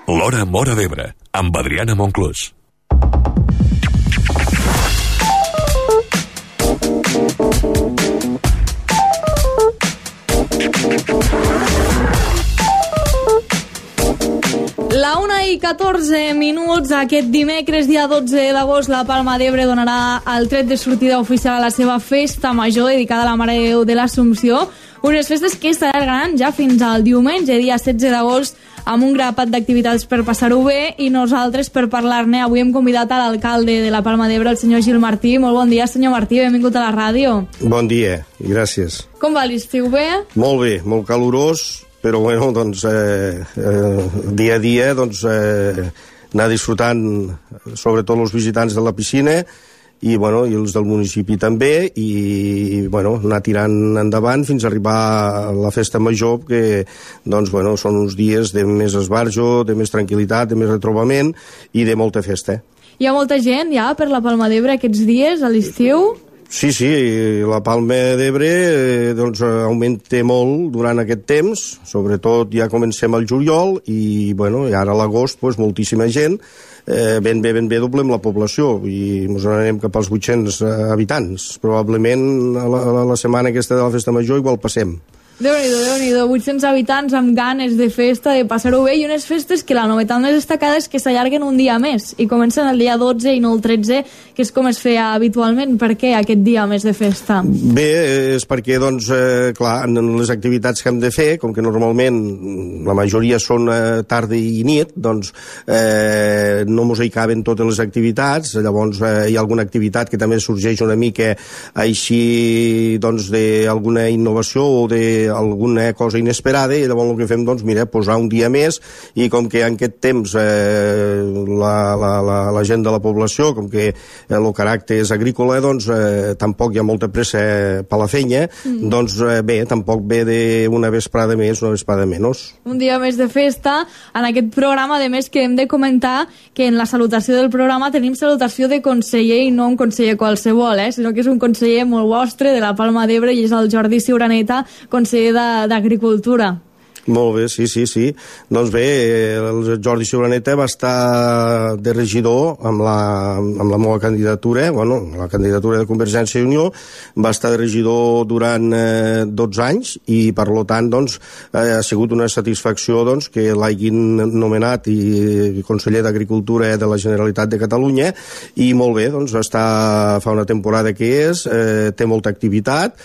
L'Hora Móra d'Ebre, amb Adriana Monclús. La 1:14, aquest dimecres, dia 12 d'agost, la Palma d'Ebre donarà el tret de sortida oficial a la seva festa major dedicada a la Mare de Déu de l'Assumpció. Unes festes que s'allargaran ja fins al diumenge, dia 16 d'agost, amb un grapat d'activitats per passar-ho bé, i nosaltres, per parlar-ne, avui hem convidat a l'alcalde de la Palma d'Ebre, el senyor Gil Martí. Molt bon dia, senyor Martí, benvingut a la ràdio. Bon dia, i gràcies. Com va l'estiu, bé? Molt bé, molt calorós, però bueno, doncs, dia a dia, doncs, anar disfrutant, sobretot els visitants de la piscina, i, bueno, i els del municipi també, i bueno, anar tirant endavant fins a arribar a la festa major, que doncs, bueno, són uns dies de més esbarjo, de més tranquil·litat, de més retrobament i de molta festa. Hi ha molta gent ja per la Palma d'Ebre aquests dies, a l'estiu? Sí, la Palma d'Ebre doncs, augmenta molt durant aquest temps, sobretot ja comencem al juliol, i, bueno, i ara a l'agost doncs, moltíssima gent, ben bé doblem la població, i ens anarem cap als 800 habitants. Probablement a la setmana aquesta de la festa major igual passem. Déu-n'hi-do, 800 habitants amb ganes de festa, de passar-ho bé, i unes festes que la novetat més destacada és que s'allarguen un dia més, i comencen el dia 12 i no el 13, que és com es feia habitualment. Per què aquest dia més de festa? Bé, és perquè, doncs, clar, en les activitats que hem de fer, com que normalment la majoria són tarda i nit, doncs no mos hi caben totes les activitats. Llavors hi ha alguna activitat que també sorgeix una mica així, doncs, d'alguna innovació o d'alguna cosa inesperada, i llavors el que fem, doncs, mira, posar un dia més, i com que en aquest temps la gent de la població, com que el caràcter és agrícola, doncs tampoc hi ha molta pressa per la feina, doncs bé, tampoc ve d'una vesprada més, una vesprada menys. Un dia més de festa. En aquest programa, a més, que hem de comentar que en la salutació del programa tenim salutació de conseller, i no un conseller qualsevol, sinó que és un conseller molt vostre, de la Palma d'Ebre, i és el Jordi Ciuraneta, conseller d'Agricultura. Molt bé, sí. Doncs bé, el Jordi Ciuraneta va estar de regidor amb la meva candidatura, bueno, la candidatura de Convergència i Unió, va estar de regidor durant 12 anys, i per tant, doncs, ha sigut una satisfacció, doncs, que l'hagin nomenat i conseller d'Agricultura de la Generalitat de Catalunya, i molt bé, doncs, fa una temporada que té molta activitat,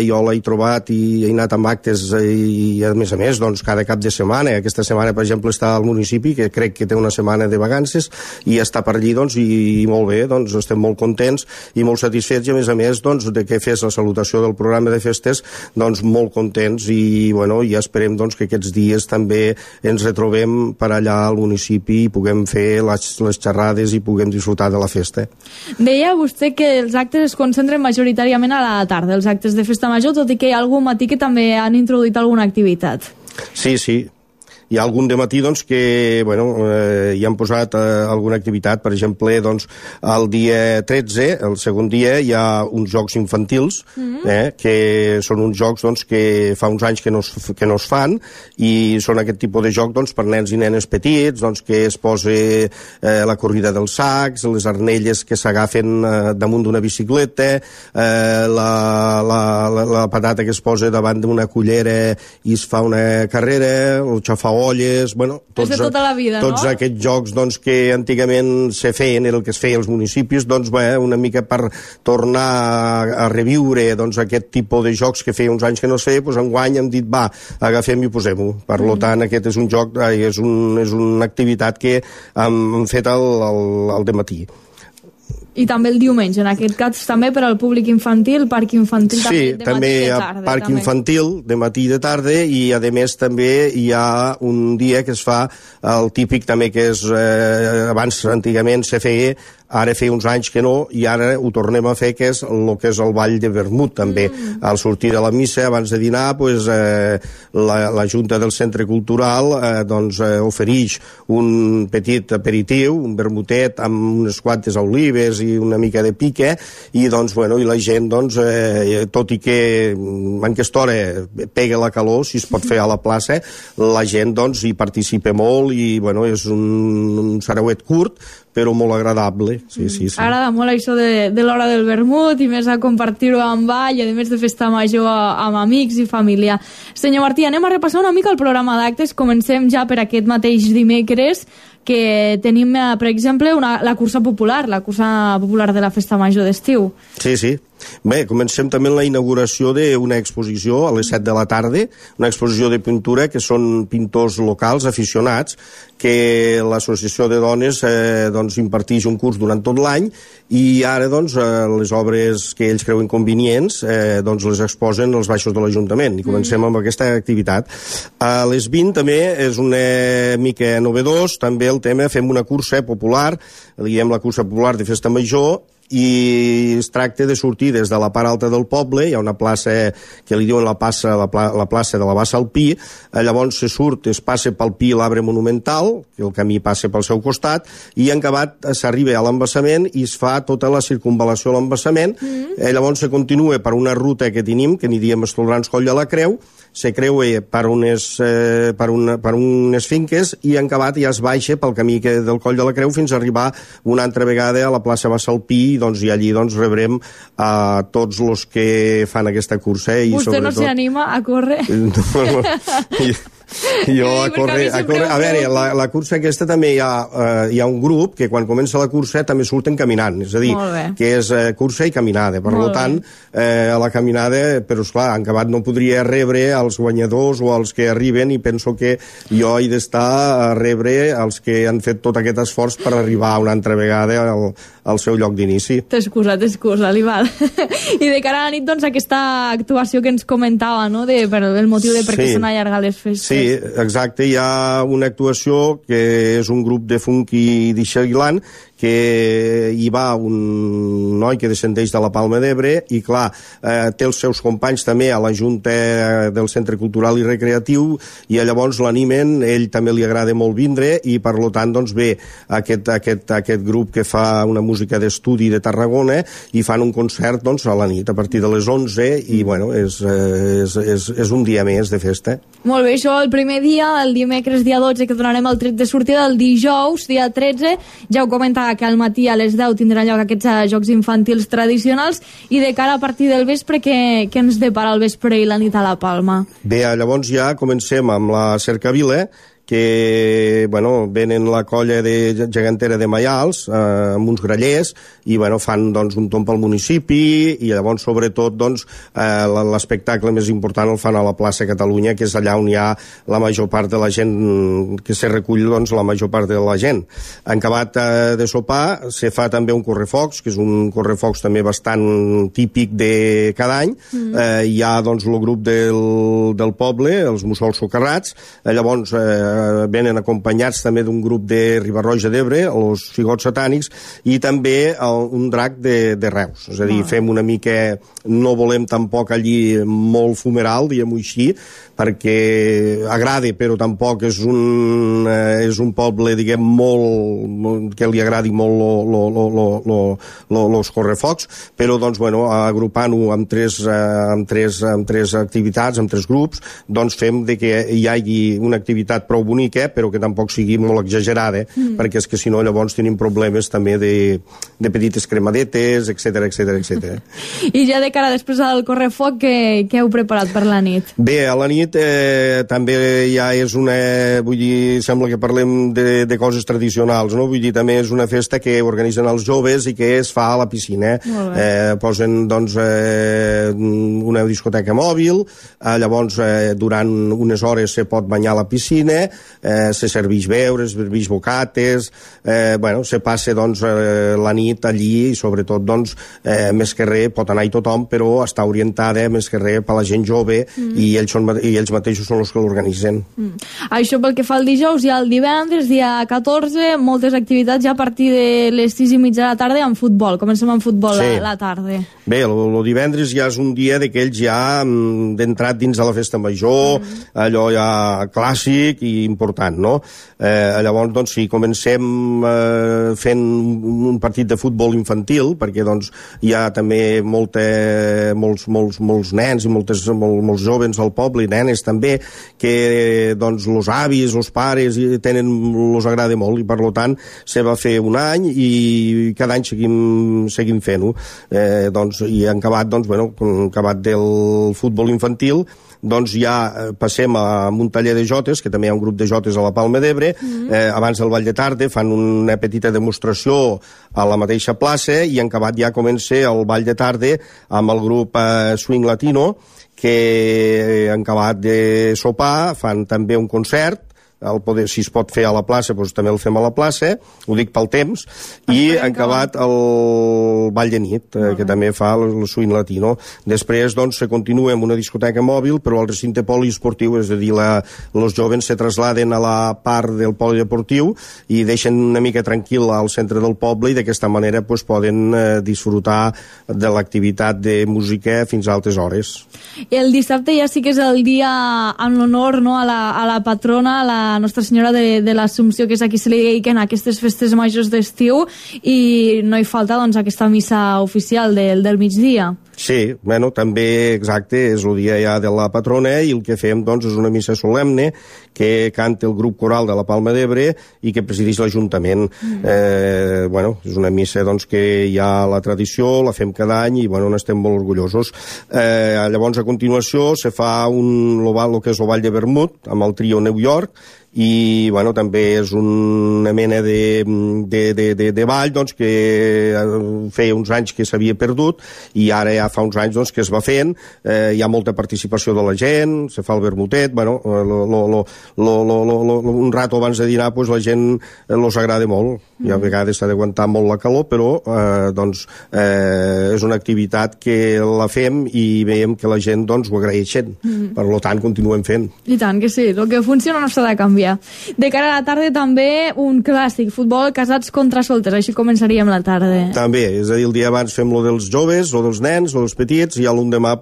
jo l'he trobat i he anat amb actes, i a més, doncs, cada cap de setmana. Aquesta setmana, per exemple, està al municipi, que crec que té una setmana de vacances, i està per allí, doncs, i molt bé, doncs, estem molt contents i molt satisfets, i a més, doncs, de que fes la salutació del programa de festes, doncs, molt contents, i, bueno, ja esperem, doncs, que aquests dies també ens retrobem per allà al municipi i puguem fer les xerrades i puguem disfrutar de la festa. Deia vostè que els actes es concentren majoritàriament a la tarda, els actes de festa major, tot i que hi ha algun matí que també han introduït alguna activitat. Sí. Hi ha algun de matí, doncs, que, bueno, hi han posat alguna activitat. Per exemple, doncs, el dia 13, el segon dia, hi ha uns jocs infantils, que són uns jocs, doncs, que fa uns anys que no es fan, i són aquest tipus de joc, doncs, per nens i nenes petits, doncs, que es posa la corrida dels sacs, les arnelles que s'agafen damunt d'una bicicleta, la patata que es posa davant d'una cullera i es fa una carrera, el xafaolles, bueno, tots aquests jocs, doncs, que antigament se feien, el que es feia als municipis, doncs, una mica per tornar a reviure, doncs, aquest tipus de jocs que feia uns anys que no es feia, doncs enguany hem dit, agafem i posem-ho. Per tant, aquest és un joc, és una activitat que hem fet al dematí. I també el diumenge, en aquest cas també per al públic infantil, parc infantil, també de matí i de tarda. Sí, també parc infantil de matí i de tarda, i a més també hi ha un dia que es fa el típic també, que és abans antigament se feia, ara feia uns anys que no, i ara ho tornem a fer, que és el que és el ball de vermut també. Al sortir de la missa, abans de dinar, pues, la Junta del Centre Cultural doncs, ofereix un petit aperitiu, un vermutet amb unes quantes olives i una mica de pique, i doncs, bueno, i la gent, doncs, tot i que en aquesta hora pega la calor, si es pot fer a la plaça, la gent, doncs, hi participa molt i, bueno, és un sarauet curt, però molt agradable. Sí. Agrada molt això de l'hora del vermut i més a compartir-ho amb ball, a més de festa major amb amics i família. Senyor Martí, anem a repassar una mica el programa d'actes. Comencem ja per aquest mateix dimecres, que tenim, per exemple, la cursa popular de la festa major d'estiu. Sí. Bé, comencem també amb la inauguració d'una exposició a les 7 de la tarda, una exposició de pintura que són pintors locals aficionats, que l'associació de dones doncs, imparteix un curs durant tot l'any, i ara doncs, les obres que ells creuen convenients doncs, les exposen als baixos de l'Ajuntament, i comencem amb aquesta activitat. A les 20 també és una mica novedós, també el tema, fem una cursa popular, diguem la cursa popular de festa major, i es tracta de sortir des de la part alta del poble, hi ha una plaça que li diuen la plaça de la Bassa al Pi, llavors se surt, es passa pel Pi l'arbre monumental, que el camí passa pel seu costat, i en acabat s'arriba a l'embassament i es fa tota la circunvalació a l'embassament, llavors se continua per una ruta que tenim, que n'hi diem Estolrans Coll de la Creu, se creua per unes finques i en acabat ja es baixa pel camí del Coll de la Creu fins a arribar una altra vegada a la plaça Bassalpí, doncs, i allí doncs, rebrem a tots els que fan aquesta cursa. I vostè sobretot no s'hi anima a córrer? Jo a córrer... A veure, la cursa aquesta també hi ha un grup que quan comença la cursa també surten caminant, és a dir, que és cursa i caminada. Per tant, a la caminada, però esclar, en acabat no podria rebre als guanyadors o als que arriben, i penso que jo he d'estar a rebre els que han fet tot aquest esforç per arribar una altra vegada al seu lloc d'inici. T'excusa, Lival. I de cara a la nit, doncs, aquesta actuació que ens comentava, no?, el motiu de per què s'han allargat les festes. Sí, exacte, hi ha una actuació que és un grup de funky d'Ixaguilan, que hi va un noi que descendeix de la Palma d'Ebre i, clar, té els seus companys també a la Junta del Centre Cultural i Recreatiu, i llavors l'animen, ell també li agrada molt vindre, i per tant doncs, ve aquest grup que fa una música d'estudi de Tarragona i fan un concert doncs, a la nit, a partir de les 11, i bueno, és un dia més de festa. Molt bé, això el primer dia, el dimecres dia 12, que donarem el tret de sortida, el dijous, dia 13, ja ho comentava que al matí a les 10 tindran lloc aquests jocs infantils tradicionals, i de cara a partir del vespre, què ens depara el vespre i la nit a la Palma? Bé, llavors ja comencem amb la cercavila, que bueno, venen la colla de gegantera de Maials amb uns grallers i bueno, fan doncs, un tomb al municipi, i llavors sobretot doncs, l'espectacle més important el fan a la plaça Catalunya, que és allà on hi ha la major part de la gent, que se recull doncs, la major part de la gent. En acabat de sopar se fa també un correfocs, que és un correfocs també bastant típic de cada any. Hi ha doncs, el grup del poble, els mussols socarrats, llavors venen acompanyats també d'un grup de Riba-roja d'Ebre, els figots satànics, i també un drac de Reus. És a dir, fem una mica... No volem tampoc allí molt fumeral, diguem-ho així, perquè agrada, però tampoc és un poble, diguem, molt... que li agradi molt los correfocs, però, doncs, bueno, agrupant-ho amb tres activitats, amb tres grups, doncs fem que hi hagi una activitat prou bonica, però que tampoc sigui molt exagerada, perquè és que si no llavors tenim problemes també de petites cremadetes, etc. I ja de cara després al correfoc, què heu preparat per la nit? Bé, a la nit també ja és una... Vull dir, sembla que parlem de coses tradicionals, no? Vull dir, també és una festa que organitzen els joves i que es fa a la piscina. Posen, doncs, una discoteca mòbil, llavors durant unes hores se pot banyar a la piscina, se serveix beure, se serveix bocates, bueno, se passa doncs, la nit allí, i sobretot doncs, més que res pot anar-hi tothom, però està orientada més que res per la gent jove, i ells mateixos són els que l'organitzen. Això pel que fa al dijous, i al divendres, dia 14, moltes activitats ja a partir de les 6:30 de la tarda amb futbol. Comencem amb futbol a la tarda. Bé, el divendres ja és un dia d'aquells ja d'entrat dins de la festa major, allò ja clàssic, i important, no? Llavors, doncs, si comencem fent un partit de futbol infantil, perquè doncs, hi ha també molts nens i molts joves al poble, i nenes també, que doncs, els avis, els pares, els agrada molt, i per tant se va fer un any i cada any seguim fent-ho. I en acabat del futbol infantil, doncs ja passem a un taller de jotes, que també hi ha un grup de jotes a la Palma d'Ebre. Abans del ball de tarda fan una petita demostració a la mateixa plaça, i en acabat ja comença el ball de tarda amb el grup Swing Latino, que en acabat de sopar fan també un concert. Si es pot fer a la plaça, doncs també el fem a la plaça, ho dic pel temps, i en acabat el ball de nit, que també fa el Swing Latino. Després, doncs, se continua amb una discoteca mòbil, però al recinte poliesportiu, és a dir, els joves se trasladen a la part del polideportiu i deixen una mica tranquil al centre del poble, i d'aquesta manera poden disfrutar de l'activitat de música fins a altes hores. El dissabte ja sí que és el dia en l'honor, no, a la patrona, a la Nostra Senyora de l'Assumpció, que és a qui se li dediquen aquestes festes majors d'estiu, i no hi falta doncs aquesta missa oficial del migdia. Sí, bueno, també, exacte, és el dia ja de la patrona, i el que fem, doncs, és una missa solemne que canta el grup coral de la Palma d'Ebre i que presideix l'Ajuntament. És una missa, doncs, que hi ha la tradició, la fem cada any i, n'estem molt orgullosos. Llavors, a continuació, se fa el que és el Ball de Vermut, amb el trio New York, i també és una mena de ball, doncs, que feia uns anys que s'havia perdut, i ara ja fa uns anys, doncs, que es va fent. Hi ha molta participació de la gent, se fa el vermutet, un rato abans de dinar, doncs, la gent els agrada molt, i a vegades s'ha d'aguantar molt la calor, però és una activitat que la fem i veiem que la gent, doncs, ho agraeixen. Per tant, continuem fent. I tant que sí, el que funciona no s'ha de canviar. De cara a la tarda també un clàssic, futbol casats contra solters, així començaríem la tarda. També, és a dir, el dia abans fem lo dels joves, lo dels nens, lo dels petits, i a l'endemà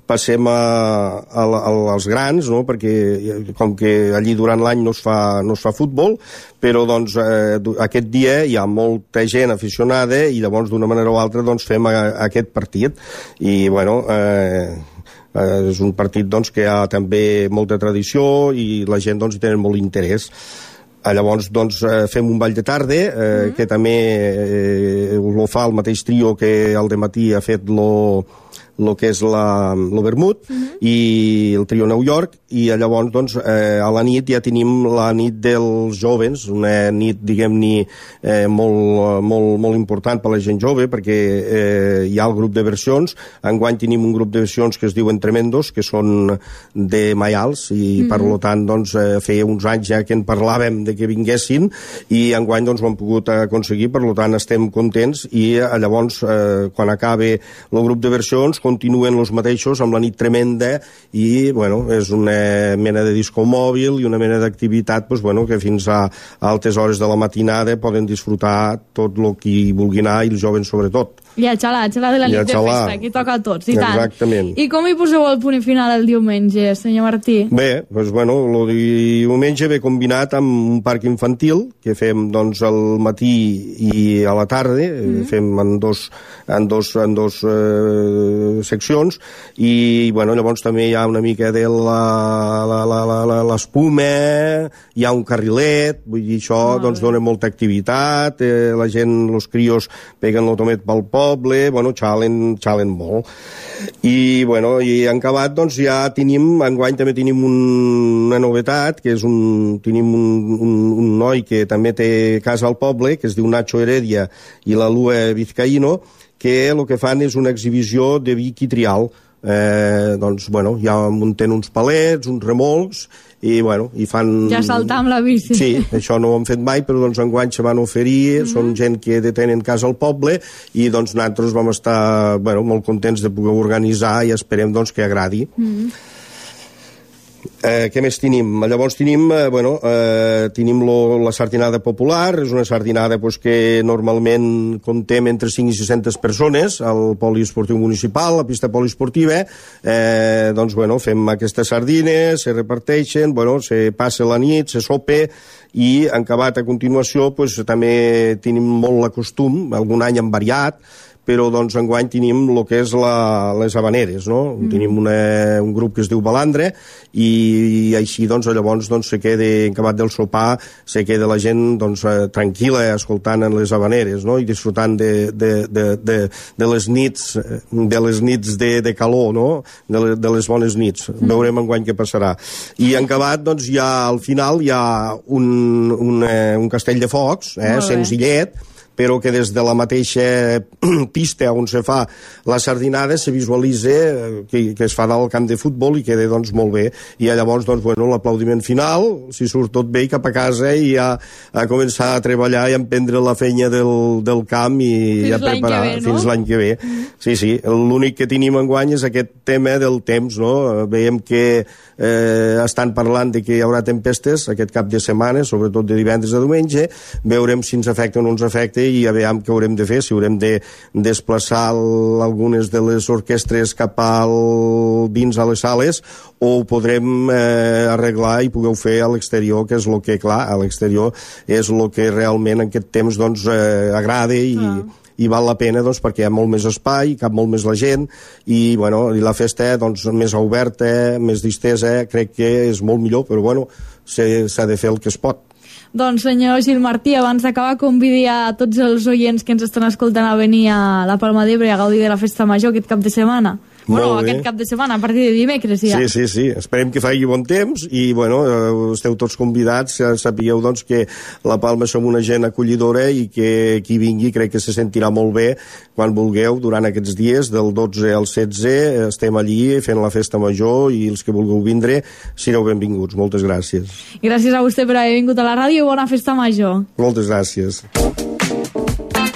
passem als grans, no? Perquè com que allí durant l'any no es fa futbol, però doncs aquest dia hi ha molta gent aficionada i llavors d'una manera o altra doncs fem aquest partit, i és un partit, doncs, que hi ha també molta tradició i la gent, doncs, hi tenen molt interès. Llavors, doncs, fem un ball de tarda, que també ho fa el mateix trio que al dematí ha fet el que és el vermut, i el trio New York, i llavors, doncs, a la nit ja tenim la nit dels jovens, una nit, diguem-ne, molt important per a la gent jove, perquè hi ha el grup de versions. Enguany tenim un grup de versions que es diuen Tremendos, que són de Maials, i per tant, doncs, feia uns anys ja que en parlàvem de que vinguessin, i enguany, doncs, ho hem pogut aconseguir, per tant, estem contents, i llavors, quan acabe el grup de versions, continuen els mateixos amb la nit tremenda, i és una mena de disco mòbil i una mena d'activitat que fins a altes hores de la matinada poden disfrutar tot el que vulgui anar, i els joves sobretot. I a xalar de la nit de festa, que toca a tots, i tant. Exactament. I com hi poseu el punt final el diumenge, senyor Martí? Bé, el diumenge ve combinat amb un parc infantil, que fem, doncs, al matí i a la tarda, fem en dos seccions, i llavors també hi ha una mica de l'espuma, hi ha un carrilet, vull dir, això doncs dona molta activitat, la gent, els crios peguen l'automet pel poble, xalen molt. I en acabat, doncs, ja enguany també tenim una novetat, que és tenim un noi que també té casa al poble, que es diu Nacho Heredia, i la Lua Vizcaíno, que el que fan és una exhibició de vi quitrial. Ja munten uns palets, uns remolcs, i fan... Ja saltar amb la bici. Sí, això no ho hem fet mai, però doncs enguany se van oferir, són gent que tenen casa al poble, i doncs nosaltres vam estar molt contents de poder organitzar, i esperem doncs que agradi. Què més tenim? Llavors tenim la sardinada popular, és una sardinada que normalment comptem entre 5 i 600 persones al poliesportiu municipal, la pista poliesportiva. Fem aquestes sardines, se reparteixen, se passa la nit, se sopa, i en acabat a continuació també tenim molt la costum, algun any han variat, però enguany tenim el que és les habaneres, no? Tenim un grup que es diu Balandre, i així llavors se queda, en acabat del sopar, se queda la gent tranquil·la escoltant les habaneres, no? I disfrutant de les nits de calor, no? De les bones nits. Veurem enguany què passarà. I en acabat, al final hi ha un castell de focs, senzillet, però que des de la mateixa pista on se fa la sardinada se visualitza que es fa dalt al camp de futbol i queda molt bé. I llavors l'aplaudiment final, si surt tot bé, cap a casa i a començar a treballar i a emprendre la feina del camp i a preparar fins l'any que ve. Sí, l'únic que tenim enguany és aquest tema del temps, no? Veiem que estan parlant de que hi haurà tempestes aquest cap de setmana, sobretot de divendres a diumenge. Veurem si ens afecta o no ens afecta i a veure què haurem de fer, si haurem de desplaçar algunes de les orquestres cap dins a les sales, o ho podrem arreglar i pugueu fer a l'exterior, que és el que, clar, a l'exterior és el que realment en aquest temps agrada i val la pena perquè hi ha molt més espai, cap molt més la gent, i la festa més oberta, més distesa, crec que és molt millor, però s'ha de fer el que es pot. Doncs senyor Gil Martí, abans d'acabar convidi a tots els oients que ens estan escoltant a venir a la Palma d'Ebre a gaudir de la festa major aquest cap de setmana. Aquest cap de setmana, a partir de dimecres ja. Sí, esperem que faci bon temps i esteu tots convidats, sapigueu que la Palma som una gent acollidora i que qui vingui crec que se sentirà molt bé quan vulgueu durant aquests dies, del 12 al 16 estem allí fent la festa major i els que vulgueu vindre sereu benvinguts. Moltes gràcies. Gràcies a vostè per haver vingut a la ràdio i bona festa major. Moltes gràcies.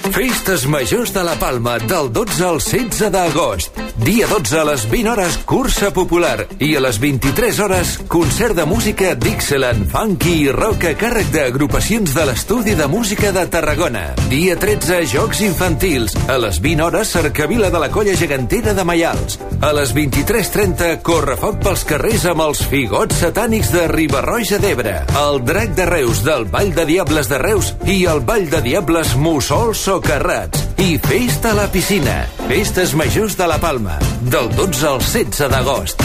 Festes Majors de la Palma del 12 al 16 d'agost. Dia 12 a les 20 hores cursa popular i a les 23 hores concert de música Dixieland, funky i rock a càrrec d'agrupacions de l'Estudi de Música de Tarragona. Dia 13 jocs infantils. A les 20 hores cercavila de la Colla Gegantera de Maials. A les 23:30 correfoc pels carrers amb els Figots Satànics de Riba-roja d'Ebre, el Drac de Reus del Ball de Diables de Reus i el Ball de Diables Mussols o Carrats. I festa a la piscina. Festes Majors de la Palma, del 12 al 16 d'agost.